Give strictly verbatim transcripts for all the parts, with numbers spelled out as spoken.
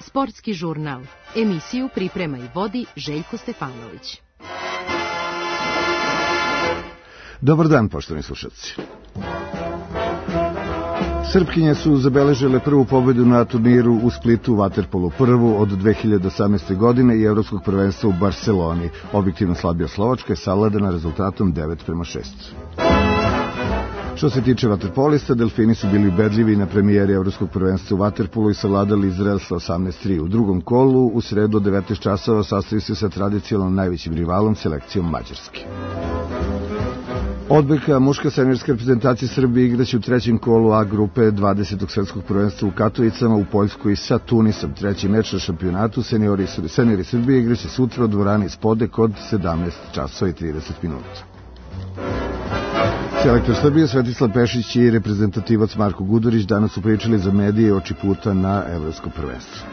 Sportski žurnal. Emisiju priprema i vodi Željko Stefanović. Dobar dan, poštovani slušalci. Srpkinje su zabeležile prvu pobedu na turniru u Splitu u vaterpolu, prvu od dve hiljade osamnaeste. godine i evropskog prvenstva u Barseloni. Objektivno slabija Slovačka je savladana rezultatom devet prema šest. Što se tiče vaterpolista, Delfini su bili ubedljivi na premijeri evropskog prvenstva u vaterpolu i savladali Izrael sa osamnaest tri. U drugom kolu, u sredu od devetnaest časova, sastaju se sa tradicionalno najvećim rivalom, selekcijom Mađarske. Odbojka muška seniorska reprezentacija Srbije igraće u trećem kolu A grupe dvadesetog svetskog prvenstva u Katovicama u Poljskoj sa Tunisom. Treći meč na šampionatu seniori, seniori Srbije igraće sutra u dvorani Spodek od sedamnaest časova i trideset minuta. Selektor Srbije Svetislav Pešić i reprezentativac Marko Gudurić danas su pričali za medije oči puta na evropsko prvenstvo.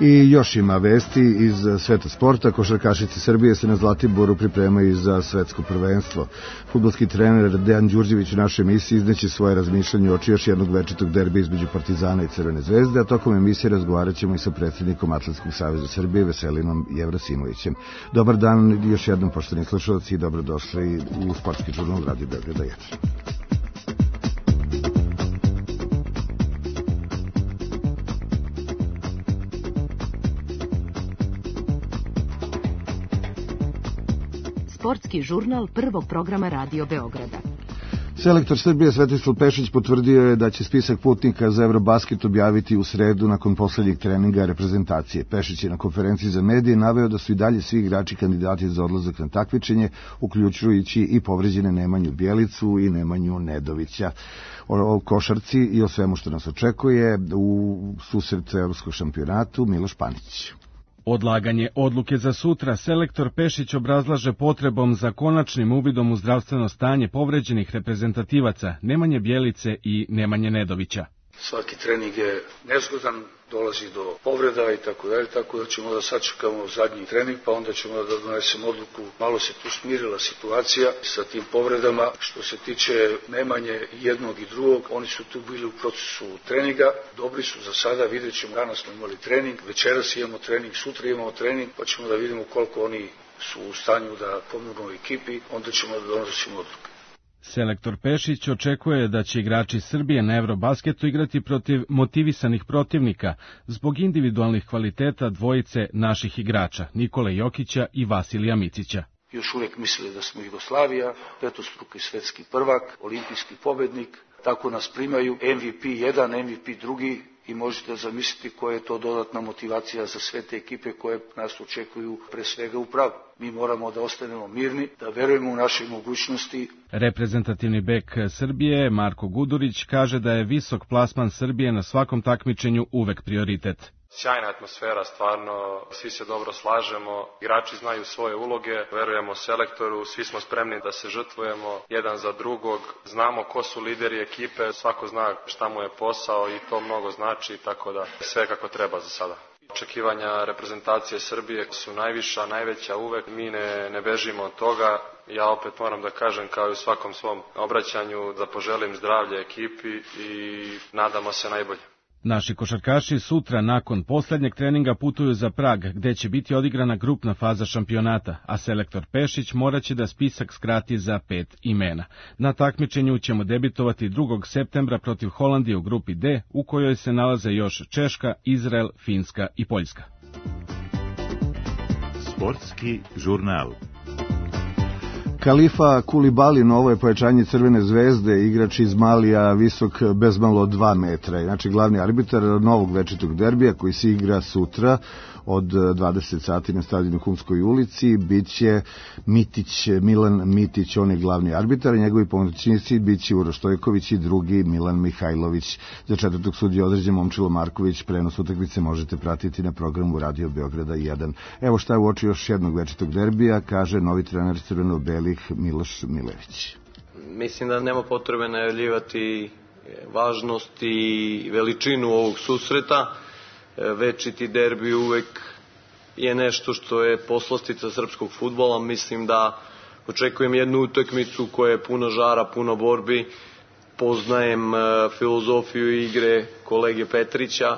I još ima vesti iz sveta sporta. Košarkašice Srbije se na Zlatiboru pripremaju za svetsko prvenstvo. Fudbalski trener Dejan Đurđević u našoj emisiji izneće svoje razmišljanje oči još jednog večitog derbija između Partizana i Crvene zvezde, a tokom emisije razgovarat ćemo i sa predsjednikom Atletskog saveza Srbije Veselinom Jevrosimovićem. Dobar dan još jednom, poštovani slušalci, i dobrodošli u Sportski žurnal Radio Beograda jedan. Sportski žurnal prvog programa Radio Beograda. Selektor Srbije Svetislav Pešić potvrdio je da će spisak putnika za Eurobasket objaviti u sredu nakon poslednjeg treninga reprezentacije. Pešić je na konferenciji za medije naveo da su i dalje svi igrači kandidati za odlazak na takmičenje, uključujući i povređene Nemanju Bjelicu i Nemanju Nedovića. O košarci i o svemu što nas očekuje u susret evropskog šampionatu Miloš Panić. Odlaganje odluke za sutra selektor Pešić obrazlaže potrebom za konačnim uvidom u zdravstveno stanje povređenih reprezentativaca Nemanje Bjelice i Nemanje Nedovića. Svaki trening je nezgodan, dolazi do povreda i tako dalje, tako da ćemo da sačekamo zadnji trening, pa onda ćemo da donesemo odluku. Malo se tu smirila situacija sa tim povredama. Što se tiče Nemanje jednog i drugog, oni su tu bili u procesu treninga, dobri su za sada, vidjet ćemo, danas smo imali trening, večeras imamo trening, sutra imamo trening, pa ćemo da vidimo koliko oni su u stanju da pomognu ekipi, onda ćemo da donosimo odluke. Selektor Pešić očekuje da će igrači Srbije na Eurobasketu igrati protiv motivisanih protivnika zbog individualnih kvaliteta dvojice naših igrača, Nikole Jokića i Vasilija Micića. Još uvijek mislili da smo Jugoslavija, petostruki svetski prvak, olimpijski pobednik, tako nas primaju, M V P jedan, M V P drugi, i možete zamisliti koja je to dodatna motivacija za sve te ekipe koje nas očekuju pre svega u pravu. Mi moramo da ostanemo mirni, da verujemo u naše mogućnosti. Reprezentativni bek Srbije Marko Gudurić kaže da je visok plasman Srbije na svakom takmičenju uvek prioritet. Sjajna atmosfera, stvarno, svi se dobro slažemo, igrači znaju svoje uloge, verujemo selektoru, svi smo spremni da se žrtvujemo jedan za drugog, znamo ko su lideri ekipe, svako zna šta mu je posao i to mnogo znači, tako da sve kako treba za sada. Očekivanja reprezentacije Srbije su najviša, najveća uvek, mi ne, ne bežimo od toga. Ja opet moram da kažem, kao i u svakom svom obraćanju, da poželim zdravlje ekipi i nadamo se najbolje. Naši košarkaši sutra nakon poslednjeg treninga putuju za Prag, gde će biti odigrana grupna faza šampionata, a selektor Pešić moraće da spisak skrati za pet imena. Na takmičenju ćemo debitovati drugog septembra protiv Holandije u grupi D, u kojoj se nalaze još Češka, Izrael, Finska i Poljska. Sportski žurnal. Kalifa Kulibali, novo je pojačanje Crvene zvezde, igrač iz Malija, visok bezmalo dva metra. Znači, glavni arbitar novog večitog derbija koji se igra sutra od dvadeset sati na stadionu Humskoj ulici biće Mitić, Milan Mitić, on je glavni arbitar, njegovi pomoćnici biće Uroš Stojković i drugi Milan Mihajlović. Za četvrtog sudiju određen Momčilo Marković. Prenos utakmice možete pratiti na programu Radio Beograda jedan. Evo šta je u oči još jednog večitog derbija, kaže novi trener crveno-belih Miloš Milević. Mislim da nema potrebe najavljivati važnost i veličinu ovog susreta. Večiti derbi uvek je nešto što je poslastica srpskog fudbala. Mislim da Očekujem jednu utakmicu koja je puna žara, puna borbi. Poznajem filozofiju igre kolege Petrića.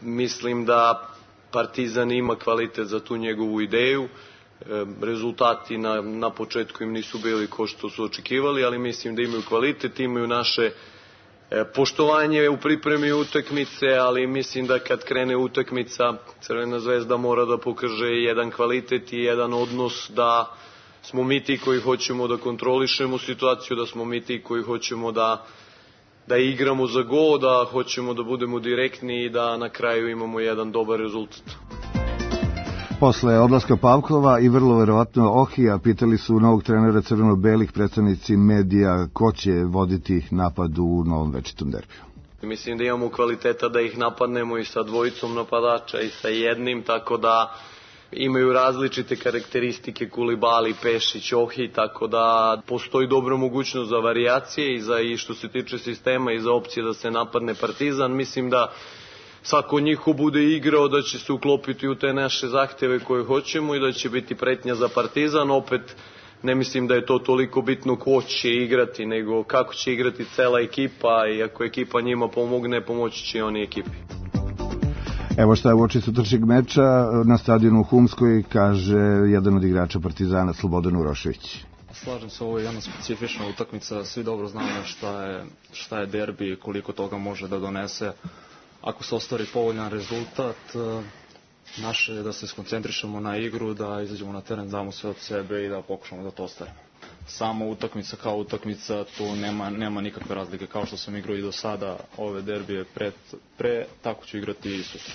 Mislim da Partizan ima kvalitet za tu njegovu ideju. Rezultati na, na početku im nisu bili ko što su očekivali, ali mislim da imaju kvalitet, imaju naše poštovanje u pripremi utakmice, ali mislim da kad krene utakmica Crvena zvezda mora da pokaže jedan kvalitet i jedan odnos, da smo mi ti koji hoćemo da kontrolišemo situaciju, da smo mi ti koji hoćemo da, da igramo za gol, da hoćemo da budemo direktni i da na kraju imamo jedan dobar rezultat. Posle odlaska Pavkova i vrlo verovatno Ohija, pitali su novog trenera crveno-belih predstavnici medija ko će voditi napad u novom večitom derbiju. Mislim da imamo kvaliteta da ih napadnemo i sa dvojicom napadača i sa jednim, tako da imaju različite karakteristike Kulibali, Pešić, Ohi, tako da postoji dobra mogućnost za varijacije i, za, i što se tiče sistema i za opcije da se napadne Partizan. Mislim da svako od njih ko bude igrao da će se uklopiti u te naše zahteve koje hoćemo i da će biti pretnja za Partizan. Opet ne mislim da je to toliko bitno ko će igrati, nego kako će igrati cela ekipa i ako ekipa njima pomogne, pomoći će oni ekipi. Evo šta je uoči sutrašnjeg meča na stadionu u Humskoj, kaže jedan od igrača Partizana, Slobodan Urošević. Slažem se, ovo je jedna specifična utakmica, svi dobro znamo šta je, šta je derbi i koliko toga može da donese. Ako se ostvari povoljan rezultat, naše je da se skoncentrišemo na igru, da izađemo na teren, damo sve od sebe i da pokušamo da to ostvarimo. Samo utakmica kao utakmica, tu nema, nema nikakve razlike. Kao što sam igrao i do sada ove derbije pre, pre tako ću igrati i sutra.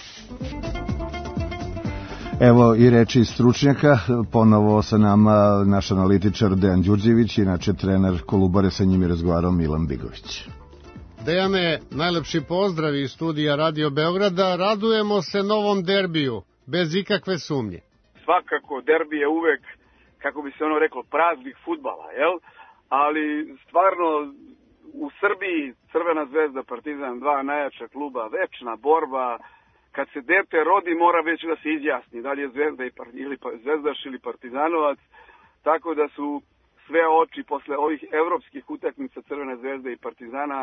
Evo i reči stručnjaka, ponovo sa nama naš analitičar Dejan Đurđević, inače trener Kolubare, sa njim je razgovarao Milan Bigović. Dejane, najlepši pozdrav iz studija Radio Beograda. Radujemo se novom derbiju, bez ikakve sumnje. Svakako, derbi je uvek, kako bi se ono reklo, praznik fudbala, jel? Ali stvarno u Srbiji Crvena zvezda, Partizan, dva najjača kluba, večna borba. Kad se dete rodi mora već da se izjasni da li je zvezda ili zvezdaš ili partizanovac, tako da su sve oči posle ovih evropskih utakmica Crvene zvezde i Partizana,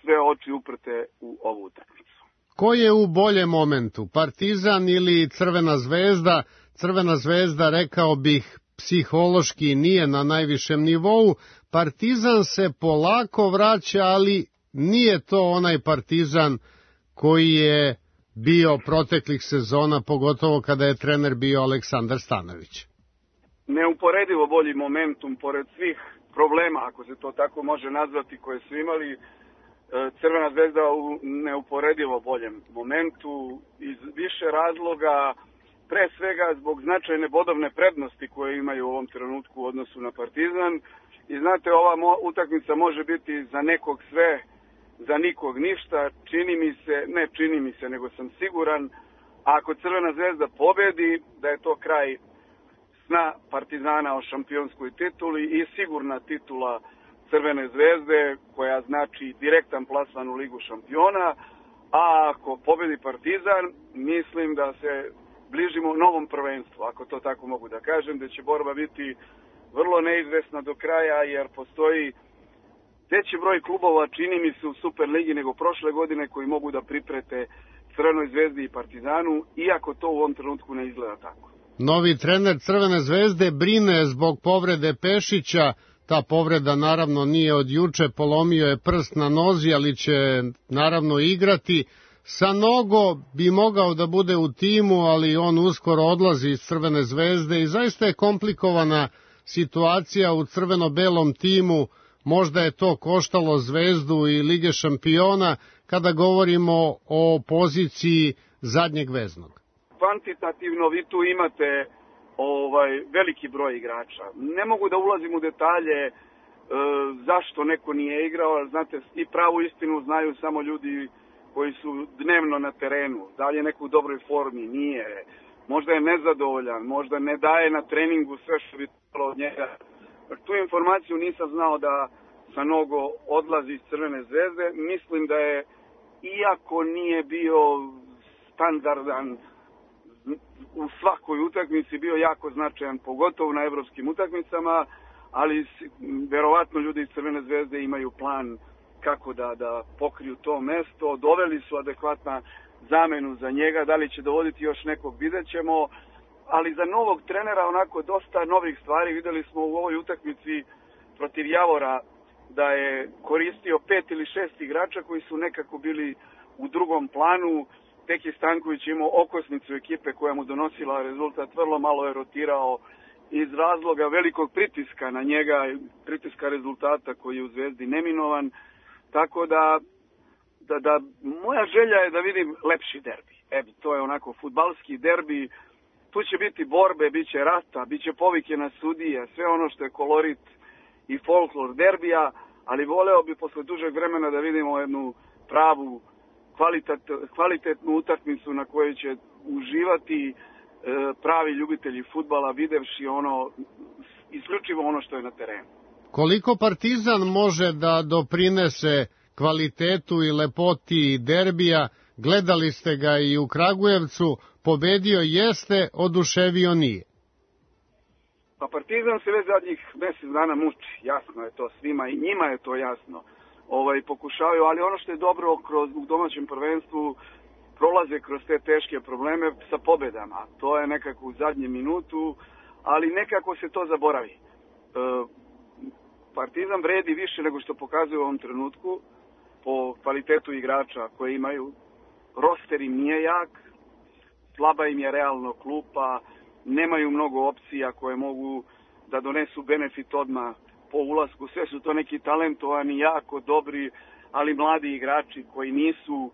sve oči uprte u ovu utakmicu. Ko je u boljem momentu, Partizan ili Crvena zvezda? Crvena zvezda, rekao bih, psihološki nije na najvišem nivou. Partizan se polako vraća, ali nije to onaj Partizan koji je bio proteklih sezona, pogotovo kada je trener bio Aleksandar Stanović. Neuporedivo bolji momentum, pored svih problema, ako se to tako može nazvati, koje su imali, Crvena zvezda u neuporedivo boljem momentu, iz više razloga, pre svega zbog značajne bodovne prednosti koje imaju u ovom trenutku u odnosu na Partizan. I znate, ova mo- utakmica može biti za nekog sve, za nikog ništa. Čini mi se, ne čini mi se, nego sam siguran, ako Crvena zvezda pobedi, da je to kraj sna Partizana o šampionskoj tituli i sigurna titula Crvene zvezde, koja znači direktan plasman u Ligu šampiona. A ako pobedi Partizan, mislim da se bližimo novom prvenstvu, ako to tako mogu da kažem, da će borba biti vrlo neizvesna do kraja, jer postoji veći broj klubova, čini mi se, u Superligi nego prošle godine, koji mogu da priprete Crvenoj zvezdi i Partizanu, iako to u ovom trenutku ne izgleda tako. Novi trener Crvene zvezde brine zbog povrede Pešića. Ta povreda naravno nije od juče, polomio je prst na nozi, ali će naravno igrati. Sanogo bi mogao da bude u timu, ali on uskoro odlazi iz Crvene zvezde i zaista je komplikovana situacija u crveno-belom timu. Možda je to koštalo Zvezdu i Lige šampiona kada govorimo o poziciji zadnjeg veznog. Kvantitativno vi tu imate ovaj veliki broj igrača. Ne mogu da ulazim u detalje e, zašto neko nije igrao, ali znate, i pravu istinu znaju samo ljudi koji su dnevno na terenu. Da li je neko u dobroj formi? Nije. Možda je nezadovoljan, možda ne daje na treningu sve što bi trebalo od njega. Tu informaciju nisam znao da Sanogo odlazi iz Crvene zvezde. Mislim da je, iako nije bio standardan u svakoj utakmici, bio jako značajan, pogotovo na evropskim utakmicama, ali verovatno ljudi iz Crvene zvezde imaju plan kako da, da pokriju to mesto. Doveli su adekvatna zamenu za njega, da li će dovoditi još nekog, vidjet ćemo, ali za novog trenera onako dosta novih stvari. Videli smo u ovoj utakmici protiv Javora da je koristio pet ili šest igrača koji su nekako bili u drugom planu. Teki Stanković imao okosnicu ekipe koja mu donosila rezultat, vrlo malo je rotirao iz razloga velikog pritiska na njega, pritiska rezultata koji je u Zvezdi neminovan, tako da, da, da moja želja je da vidim lepši derbi. E, to je onako fudbalski derbi, tu će biti borbe, bit će rata, bit će povike na sudije, sve ono što je kolorit i folklor derbija, ali voleo bi posle dužeg vremena da vidimo jednu pravu kvalitet, kvalitetnu utakmicu na kojoj će uživati e, pravi ljubitelji fudbala, videvši ono, isključivo ono što je na terenu. Koliko Partizan može da doprinese kvalitetu i lepoti derbija? Gledali ste ga i u Kragujevcu, pobedio jeste, oduševio nije. Pa Partizan se već zadnjih mjesec dana muči, jasno je to svima i njima je to jasno. Ovaj, pokušavaju, ali ono što je dobro kroz, u domaćem prvenstvu prolaze kroz te teške probleme sa pobedama. To je nekako u zadnjem minutu, ali nekako se to zaboravi. E, Partizan vredi više nego što pokazuje u ovom trenutku po kvalitetu igrača koje imaju. Roster im nije jak, slaba im je realno klupa, nemaju mnogo opcija koje mogu da donesu benefit odmah po ulasku. Sve su to neki talentovani, jako dobri, ali mladi igrači koji nisu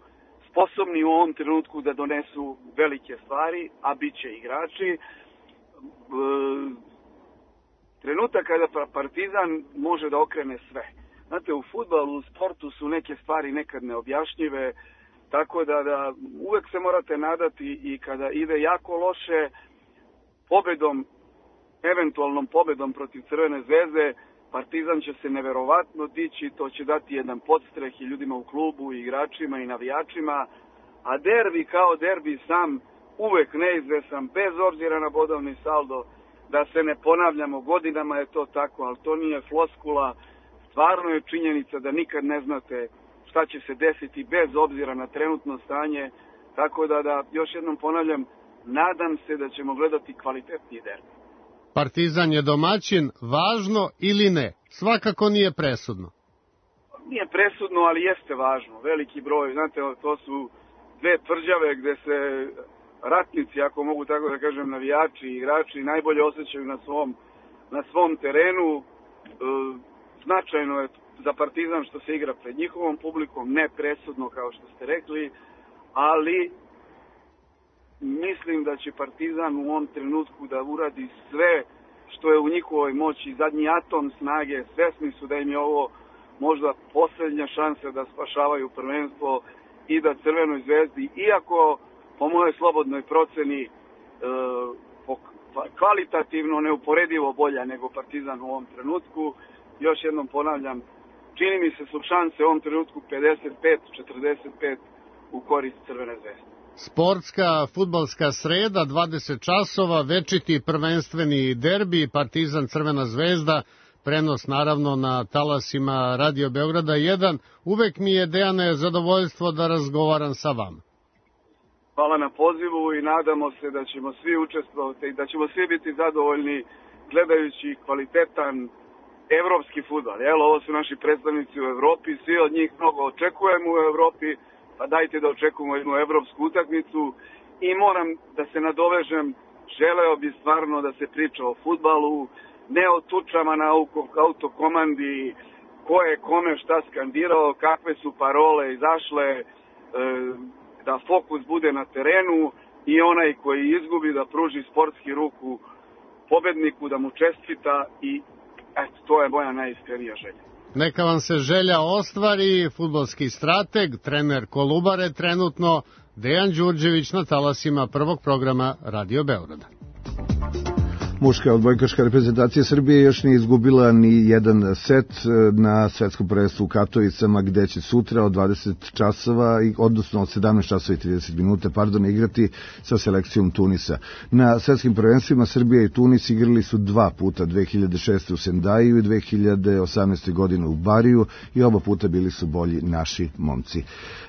sposobni u ovom trenutku da donesu velike stvari, a bit će igrači. E, trenutak kada Partizan može da okrene sve. Znate, u fudbalu, u sportu su neke stvari nekad neobjašnjive, tako da, da uvek se morate nadati i kada ide jako loše, pobedom, eventualnom pobedom protiv Crvene zvezde, Partizan će se neverovatno dići, to će dati jedan podstreh i ljudima u klubu, i igračima i navijačima, a derbi kao derbi sam uvek neizvesan, bez obzira na bodovni saldo, da se ne ponavljamo, godinama je to tako, ali to nije floskula, stvarno je činjenica da nikad ne znate šta će se desiti bez obzira na trenutno stanje, tako da, da još jednom ponavljam, nadam se da ćemo gledati kvalitetniji derbi. Partizan je domaćin, važno ili ne? Svakako nije presudno. Nije presudno, ali jeste važno. Veliki broj, znate, to su dve tvrđave gde se ratnici, ako mogu tako da kažem, navijači i igrači najbolje osjećaju na svom, na svom terenu. E, značajno je za Partizan što se igra pred njihovom publikom, ne presudno kao što ste rekli, ali mislim da će Partizan u ovom trenutku da uradi sve što je u njihovoj moći, zadnji atom snage, svesni su da im je ovo možda posljednja šansa da spašavaju prvenstvo i da Crvenoj zvezdi, iako po mojoj slobodnoj proceni e, kvalitativno neuporedivo bolja nego Partizan u ovom trenutku, još jednom ponavljam, čini mi se su šanse u ovom trenutku pedeset pet četrdeset pet u korist Crvene zvezde. Sportska fudbalska sreda, dvadeset časova, večiti prvenstveni derbi, Partizan Crvena zvezda, prenos naravno na talasima Radio Beograda jedan. Uvek mi je, Dejane, zadovoljstvo da razgovaram sa vama. Hvala na pozivu i nadamo se da ćemo svi učestvovati i da ćemo svi biti zadovoljni gledajući kvalitetan evropski fudbal. Evo, ovo su naši predstavnici u Evropi, svi od njih mnogo očekujemo u Evropi, pa dajte da očekujemo jednu evropsku utakmicu i moram da se nadovežem, želeo bi stvarno da se priča o fudbalu, ne o tučama na autokomandi, ko je kome šta skandirao, kakve su parole izašle, e, da fokus bude na terenu i onaj koji izgubi da pruži sportski ruku pobedniku, da mu čestita i eto, to je moja najiskrenija želja. Neka vam se želja ostvari, fudbalski strateg, trener Kolubare trenutno, Dejan Đurđević na talasima prvog programa Radio Beograda. Muška odbojkaška reprezentacija Srbije još nije izgubila ni jedan set na svetskom prvenstvu u Katovicama, gde će sutra od dvadeset časova, odnosno od sedamnaest časova i trideset minuta, pardon, igrati sa selekcijom Tunisa. Na svetskim prvenstvima Srbija i Tunis igrali su dva puta, dve hiljade šeste u Sendaju i dve hiljade osamnaeste godine u Bariju, i oba puta bili su bolji naši momci.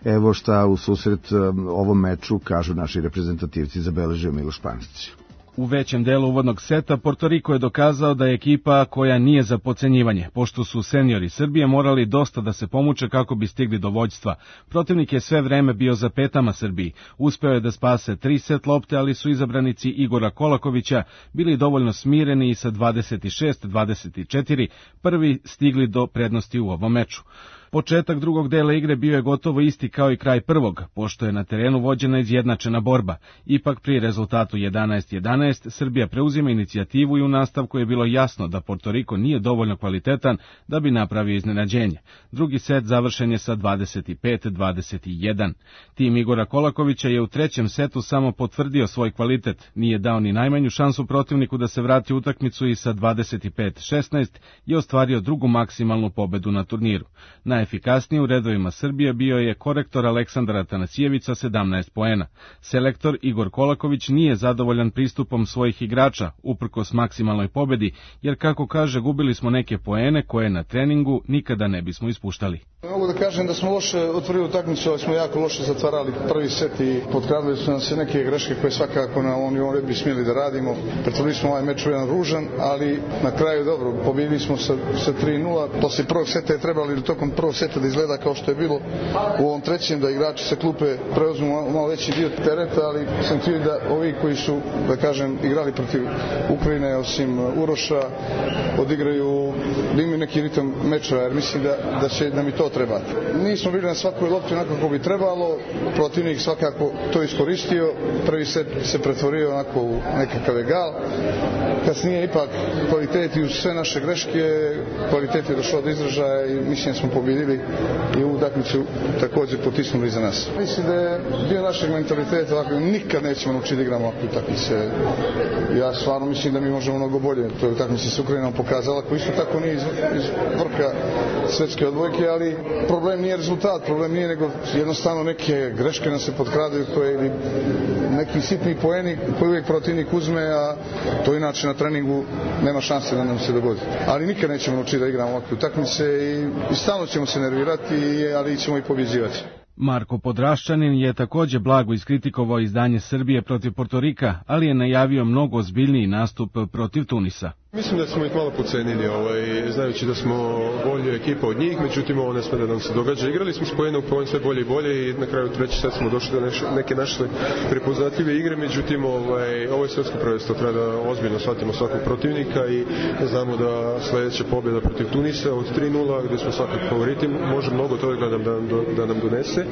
Evo šta u susret ovom meču kažu naši reprezentativci, zabeležio Miloš Panić. U većem delu uvodnog seta Portoriko je dokazao da je ekipa koja nije za podcenjivanje, pošto su seniori Srbije morali dosta da se pomuče kako bi stigli do vođstva. Protivnik je sve vreme bio za petama Srbiji. Uspeo je da spase tri set lopte, ali su izabranici Igora Kolakovića bili dovoljno smireni i sa dvadeset šest dvadeset četiri prvi stigli do prednosti u ovom meču. Početak drugog dela igre bio je gotovo isti kao i kraj prvog, pošto je na terenu vođena izjednačena borba. Ipak pri rezultatu jedanaest jedanaest Srbija preuzima inicijativu i u nastavku je bilo jasno da Portoriko nije dovoljno kvalitetan da bi napravio iznenađenje. Drugi set završen je sa dvadeset pet dvadeset jedan. Tim Igora Kolakovića je u trećem setu samo potvrdio svoj kvalitet, nije dao ni najmanju šansu protivniku da se vrati u utakmicu i sa dvadeset pet šesnaest je ostvario drugu maksimalnu pobedu na turniru. Najefikasniji u redovima Srbije bio je korektor Aleksandar Atanasijević sa sedamnaest poena. Selektor Igor Kolaković nije zadovoljan pristupom svojih igrača, uprkos maksimalnoj pobedi, jer kako kaže, gubili smo neke poene koje na treningu nikada ne bismo ispuštali. Mogu da kažem da smo loše otvorili utakmicu, ali smo jako loše zatvarali prvi set i potkradili su nam se neke greške koje svakako na ovom nivou ne bi smjeli da radimo. Pretvorili smo ovaj meč u jedan ružan, ali na kraju dobro, pobjedili smo sa, sa tri nula. Posle prvog seta je trebalo ili tokom prvog seta da izgleda kao što je bilo u ovom trećem, da igrači sa klupe preuzmu malo veći dio tereta, ali sam htio da ovi koji su, da kažem, igrali protiv Ukrajine, osim Uroša, odigraju, da imaju neki ritam meča, jer mislim da, da će nam i to trebati. Nismo bili na svakoj lopti onako kako bi trebalo, protivnik svakako to iskoristio, prvi set se pretvorio onako u nekakav egal, kasnije ipak kvalitet i uz sve naše greške, kvalitet je došao do izražaja i mislim da smo pobjedili i u utakmicu također potisnuli za nas. Mislim da je bio našeg mentaliteta, ovako, nikad nećemo naučiti da igramo ovakve utakmice. Ja stvarno mislim da mi možemo mnogo bolje. To je utakmice s Ukrajinom pokazala, koji isto tako nije iz, iz vrha svetske odbojke, ali problem nije rezultat, problem nije nego jednostavno neke greške nam se potkradaju koje ili neki sitni poeni koji uvijek protivnik uzme, a to inače na treningu nema šanse da nam se dogodi. Ali nikad nećemo naučiti da igramo ovakve utakmice i, i stalno ćemo se nervirati, ali ćemo i pobjeđivati. Marko Podraščanin je također blago iskritikovao izdanje Srbije protiv Portorika, ali je najavio mnogo ozbiljniji nastup protiv Tunisa. Mislim da smo ih malo pocenili, ovaj, znajući da smo bolja ekipa od njih, međutim ovo ne sme da nam se događa. Igrali smo s pojenom pojen sve bolje i bolje i na kraju treći set smo došli do neke naše prepoznatljive igre, međutim ovaj, ovo je svetsko prvenstvo, treba da ozbiljno shvatimo svakog protivnika i znamo da sledeća pobjeda protiv Tunisa od tri nula, gde smo svakog favoriti, može mnogo toga da nam, da, da nam donese.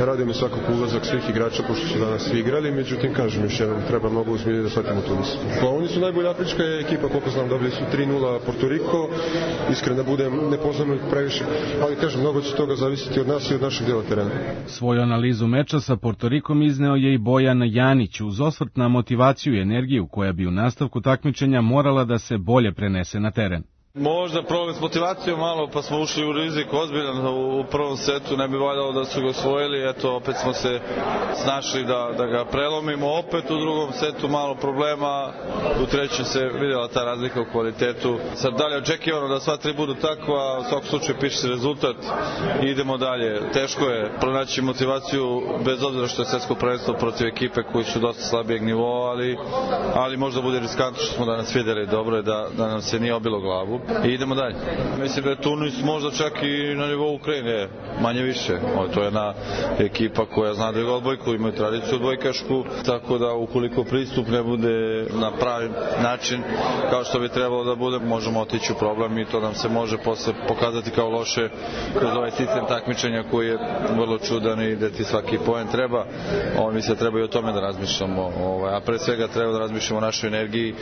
Radimo svakog ulazak svih igrača, pošto su danas svi igrali, međutim, kažem još jednom, treba mnogo ozbiljnije da shvatimo Tunis. Pa oni su najbolja afrička ekipa, koliko znam, dobili su tri nula Portoriko, iskreno da budem, ne poznamo ih previše, ali kažem, mnogo će toga zavisiti od nas i od našeg dela terena. Svoju analizu meča sa Portorikom izneo je i Bojan Janić uz osvrt na motivaciju i energiju koja bi u nastavku takmičenja morala da se bolje prenese na teren. Možda problem s motivacijom malo, pa smo ušli u rizik ozbiljan u prvom setu, ne bi valjalo da su ga osvojili, eto opet smo se snašli da, da ga prelomimo, opet u drugom setu malo problema, u trećem se vidjela ta razlika u kvalitetu. Sad dalje očekivano da sva tri budu takva, u svakom slučaju piše se rezultat i idemo dalje. Teško je pronaći motivaciju bez obzira što je svetsko prvenstvo protiv ekipe koji su dosta slabijeg nivoa, ali, ali možda bude riskantno što smo danas vidjeli, dobro je da, da nam se nije obilo glavu. I idemo dalje. Mislim da je Tunis možda čak i na nivou Ukrajine, manje više. O, to je jedna ekipa koja zna da igra odbojku, imaju tradiciju odbojkašku, tako da ukoliko pristup ne bude na pravi način kao što bi trebalo da bude, možemo otići u problem i to nam se može posle pokazati kao loše kroz ovaj sistem takmičenja koji je vrlo čudan i da ti svaki poen treba. O, mislim da treba i o tome da razmišljamo, ovaj, a pre svega treba da razmišljamo o našoj energiji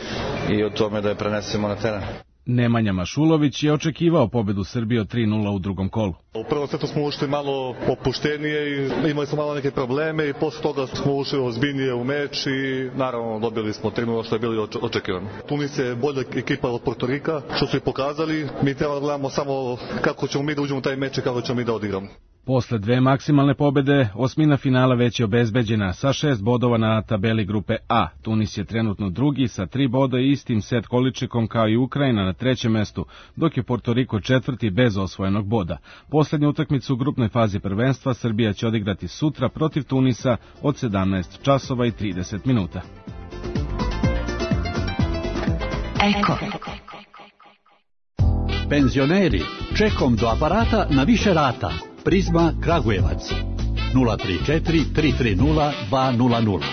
i o tome da je prenesemo na teren. Nemanja Mašulović je očekivao pobedu Srbije od tri nula u drugom kolu. U prvom setu smo ušli malo opuštenije i imali smo malo neke probleme i posle toga smo ušli ozbiljnije u meč i naravno dobili smo tri nula što je bilo očekivano. Tunis je bolja ekipa od Portorika, što su i pokazali. Mi treba da gledamo samo kako ćemo mi da uđemo u taj meč i kako ćemo mi da odigramo. Posle dve maksimalne pobede, osmina finala već je obezbeđena sa šest bodova na tabeli grupe A. Tunis je trenutno drugi sa tri boda i istim set količikom kao i Ukrajina na trećem mestu, dok je Portoriko četvrti bez osvojenog boda. Poslednju utakmicu u grupnoj fazi prvenstva Srbija će odigrati sutra protiv Tunisa od sedamnaest časova i trideset minuta. Eko. Penzioneri, čekom do aparata na više rata. Prizma Kragujevac nula tri četiri tri tri nula dva nula nula.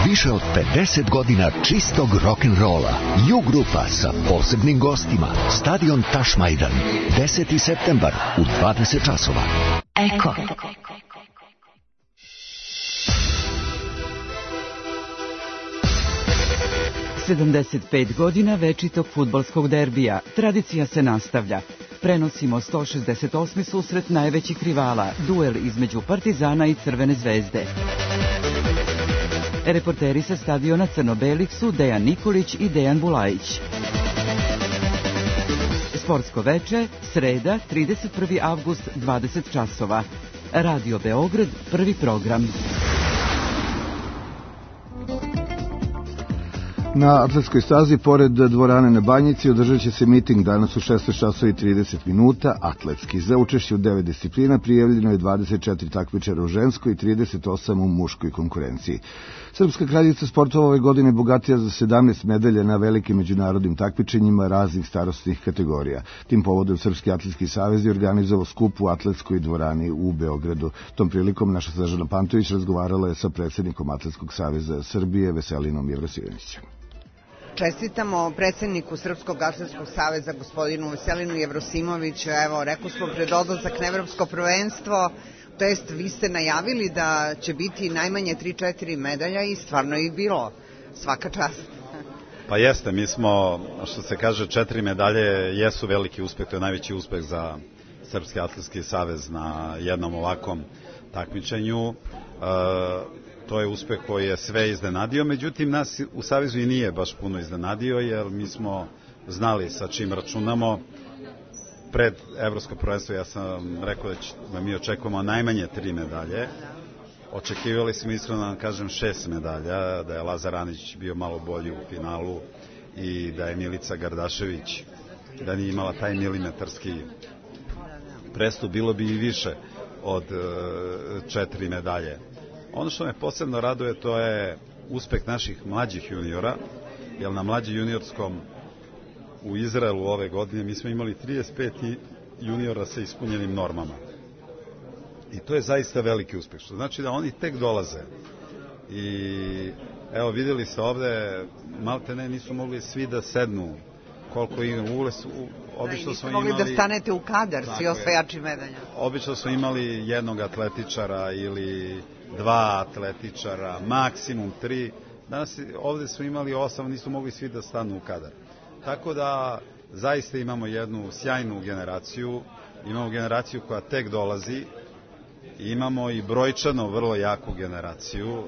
Više od pedeset godina čistog rock'n'rolla. Ju grupa sa posebnim gostima. Stadion Tašmajdan. deseti septembar u dvadeset časova. Eko. sedamdeset pet godina večitog fudbalskog derbija. Tradicija se nastavlja. Prenosimo sto šezdeset osmi susret najvećih rivala, duel između Partizana i Crvene zvezde. Reporteri sa stadiona Crno-belih su Dejan Nikolić i Dejan Bulajić. Sportsko veče, sreda, trideset prvi avgust, dvadeset časova. Radio Beograd, prvi program. Na atletskoj stazi, pored dvorane na Banjici, održat će se miting danas u šesnaest časova i trideset minuta, atletski. Za učešće u devet disciplina prijavljeno je dvadeset četiri takmičara u ženskoj i trideset osam u muškoj konkurenciji. Srpska kraljica sportova ove godine bogatija za sedamnaest medalja na velikim međunarodnim takmičenjima raznih starostnih kategorija. Tim povodom Srpski atletski savez je organizovao skup u atletskoj dvorani u Beogradu. Tom prilikom naša Snežana Pantović razgovarala je sa predsjednikom Atletskog saveza Srbije Veselinom Jevrosimovićem. Čestitamo predsjedniku Srpskog atletskog saveza gospodinu Veselinu Jevrosimoviću. Evo, rekao smo pred odlazak na evropsko prvenstvo, to jest vi ste najavili da će biti najmanje tri četiri medalja i stvarno je bilo. Svaka čast. Pa jeste, mi smo, što se kaže, četiri medalje jesu veliki uspeh, to je najveći uspeh za Srpski atletski savez na jednom ovakvom takmičenju. E, To je uspeh koji je sve iznenadio, međutim nas u Savezu i nije baš puno iznenadio, jer mi smo znali sa čim računamo. Pred evropsko prvenstvo ja sam rekao da mi očekujemo najmanje tri medalje. Očekivali smo iskreno, da vam kažem, šest medalja, da je Lazar Anić bio malo bolji u finalu i da je Milica Gardašević, da nije imala taj milimetarski prestup, bilo bi i više od četiri medalje. Ono što me posebno raduje, to je uspeh naših mlađih juniora, jer na mlađi juniorskom u Izraelu ove godine mi smo imali trideset pet juniora sa ispunjenim normama. I to je zaista veliki uspeh, što znači da oni tek dolaze. I evo, vidjeli ste ovde, malte ne, nisu mogli svi da sednu koliko im ule su, obično smo imali... mogli da stanete u kadar, svi osvajači medalja. Obično smo imali jednog atletičara ili dva atletičara, maksimum tri. Danas ovde smo imali osam, nisu mogli svi da stanu u kadar. Tako da zaista imamo jednu sjajnu generaciju, imamo generaciju koja tek dolazi, imamo i brojčano vrlo jaku generaciju,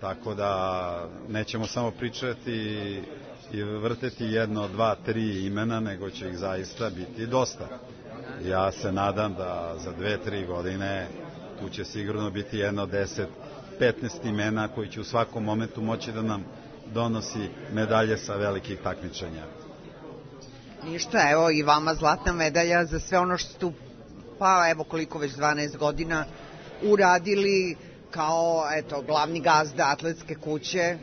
tako da nećemo samo pričati i vrteti jedno, dva, tri imena, nego će ih zaista biti dosta. Ja se nadam da za dve, tri godine tu će sigurno biti jedno deset, petnaest imena koji će u svakom momentu moći da nam donosi medalje sa velikih takmičenja. Ništa, evo i vama zlatna medalja za sve ono što ste, pa evo koliko već dvanaest godina uradili kao, eto, glavni gazda atletske kuće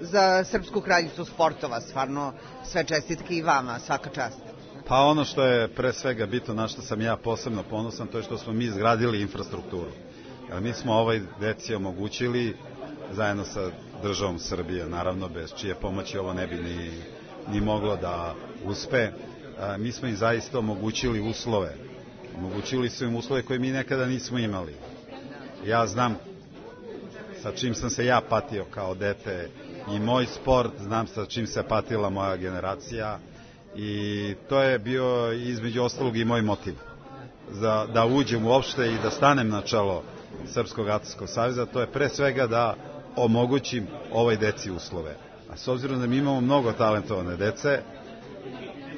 za Srpsku kraljicu sportova. Stvarno sve čestitke i vama, svaka čast. Pa ono što je pre svega bitno, na što sam ja posebno ponosan, to je što smo mi izgradili infrastrukturu. Jer mi smo ovoj deci omogućili, zajedno sa državom Srbije, naravno bez čije pomoći ovo ne bi ni, ni moglo da uspe, a, mi smo im zaista omogućili uslove. Omogućili su im uslove koje mi nekada nismo imali. Ja znam sa čim sam se ja patio kao dete i moj sport, znam sa čim se patila moja generacija i to je bio između ostalog i moj motiv za, da uđem uopšte i da stanem na čelo Srpskog atletskog saveza. To je pre svega da omogućim ovoj deci uslove. A s obzirom da mi imamo mnogo talentovane dece,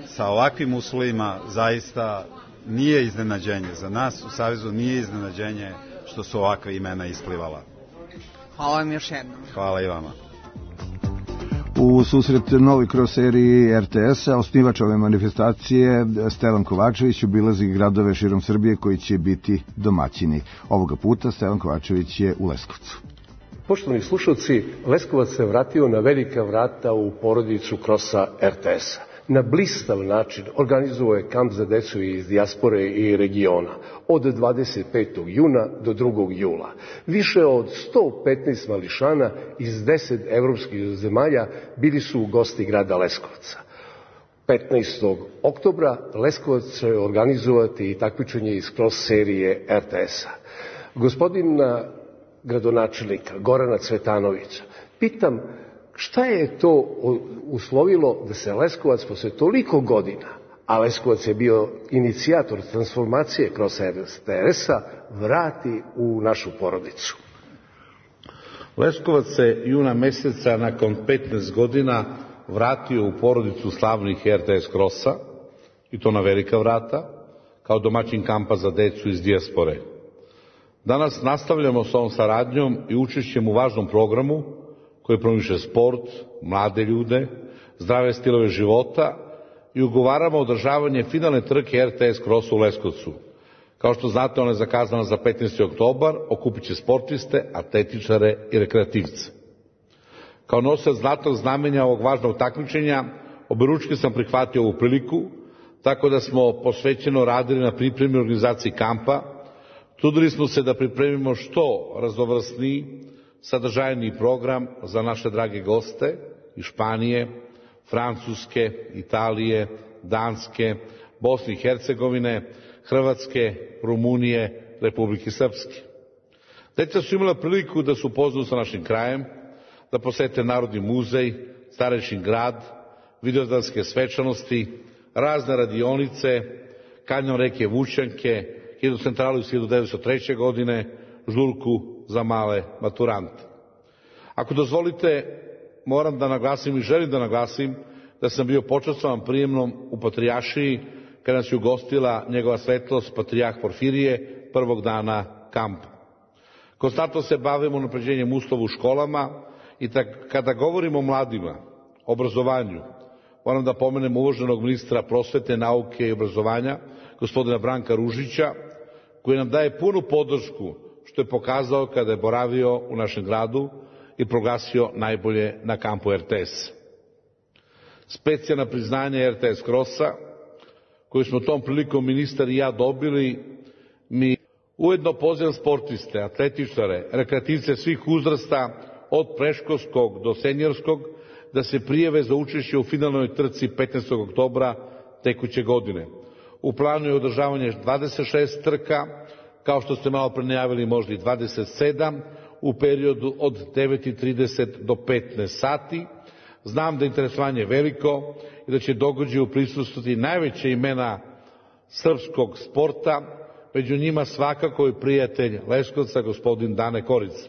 sa ovakvim uslovima zaista nije iznenađenje. Za nas u Savezu nije iznenađenje što su ovakva imena isplivala. Hvala vam još jednom. Hvala i vama. U susret novoj cross seriji er te es-a osnivač ove manifestacije Stevan Kovačević obilazi gradove širom Srbije koji će biti domaćini. Ovoga puta Stevan Kovačević je u Leskovcu. Poštovani slušalci, Leskovac se vratio na velika vrata u porodicu krosa er te es-a. Na blistav način organizovao je kamp za decu iz dijaspore i regiona od dvadeset petog juna do drugog jula. Više od sto petnaest mališana iz deset evropskih zemalja bili su gosti grada Leskovca. petnaestog oktobra Leskovac će organizovati i takmičenje iz cross serije er te es-a. Gospodin gradonačelnika Gorana Cvetanovića pitam šta je to uslovilo da se Leskovac posle toliko godina, a Leskovac je bio inicijator transformacije kroz er te es-a, vrati u našu porodicu. Leskovac se juna meseca nakon petnaest godina vratio u porodicu slavnih er te es krosa, i to na velika vrata, kao domaćin kampa za decu iz dijaspore. Danas nastavljamo s ovom saradnjom i učešćem u važnom programu koji promiče sport, mlade ljude, zdrave stilove života i ugovaramo održavanje finalne trke er te es krosa u Leskovcu. Kao što znate, ona je zakazana za petnaesti oktobar, okupit će sportiste, atletičare i rekreativce. Kao nosilac znatnog znamenja ovog važnog takmičenja, oberučke sam prihvatio ovu priliku, tako da smo posvećeno radili na pripremi organizaciji kampa. Trudili smo se da pripremimo što raznovrsniji, sadržajniji program za naše drage goste iz Španije, Francuske, Italije, Danske, Bosne i Hercegovine, Hrvatske, Rumunije, Republike Srpske. Deca su imala priliku da se upoznaju sa našim krajem, da posete Narodni muzej, Starešin grad, Vidovdanske svečanosti, razne radionice, kanjon reke Vučjanke, hidrocentralu iz hiljadu devetsto treće. godine, žurku za male maturante. Ako dozvolite, moram da naglasim i želim da naglasim da sam bio počastvovan prijemnom u Patrijaršiji kada nas je ugostila njegova svetlost Patrijah Porfirije prvog dana kampa. Konstantno se bavimo unapređenjem uslova u školama i kada govorimo o mladima, obrazovanju, moram da pomenem uvaženog ministra prosvete, nauke i obrazovanja, gospodina Branka Ružića, koji nam daje punu podršku, što je pokazao kada je boravio u našem gradu i proglasio najbolje na kampu er te es. Specijalna priznanja er te es krosa, koju smo tom prilikom ministar i ja dobili, mi ujedno pozivam sportiste, atletičare, rekreativce svih uzrasta, od predškolskog do seniorskog, da se prijave za učešće u finalnoj trci petnaestog oktobra tekuće godine. U planu je održavanje dvadeset šest trka, kao što ste malo pre najavili, možda i dvadeset sedam, u periodu od devet i trideset do petnaest sati. Znam da je interesovanje veliko i da će događaju prisustvovati najveće imena srpskog sporta, među njima svakako i prijatelj Leskovca, gospodin Dane Korica.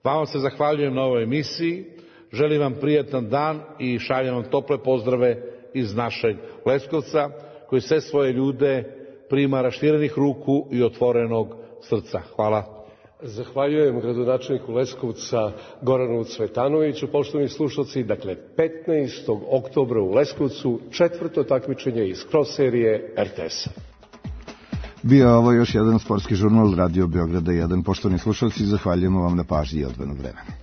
Vama se zahvaljujem na ovoj emisiji, želim vam prijatan dan i šaljem vam tople pozdrave iz našeg Leskovca, koji sve svoje ljude prima raširenih ruku i otvorenog srca. Hvala. Zahvaljujem gradonačelniku Leskovca Goranu Cvetanoviću. Poštovani slušalci, dakle petnaestog oktobra u Leskovcu četvrto takmičenje iz cross serije er te es-a. Bio je ovo još jedan sportski žurnal Radio Beograda jedan. Poštovani slušalci, zahvaljujemo vam na pažnji i odvojenog vremena.